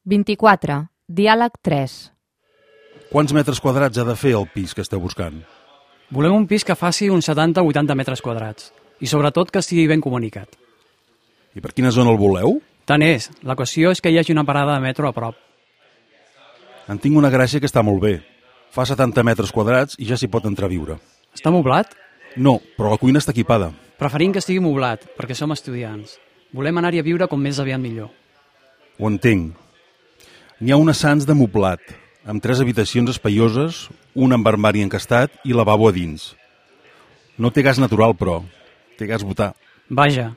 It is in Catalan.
24. Diàleg 3. Quants metres quadrats ha de fer el pis que esteu buscant? Volem un pis que faci uns 70 o 80 metres quadrats i sobretot que estigui ben comunicat. I per quina zona el voleu? Tant és, la qüestió és que hi hagi una parada de metro a prop. En tinc una gràcia que està molt bé. Fa 70 metres quadrats i ja s'hi pot entrar a viure. Està moblat? No, però la cuina està equipada. Preferim que estigui moblat, perquè som estudiants. Volem anar-hi a viure com més aviat millor. Ho entenc. N'hi ha un ascens de moblat, amb 3 habitacions espaioses, un amb armari encastat i lavabo a dins. No té gas natural, però té gas butà. Vaja,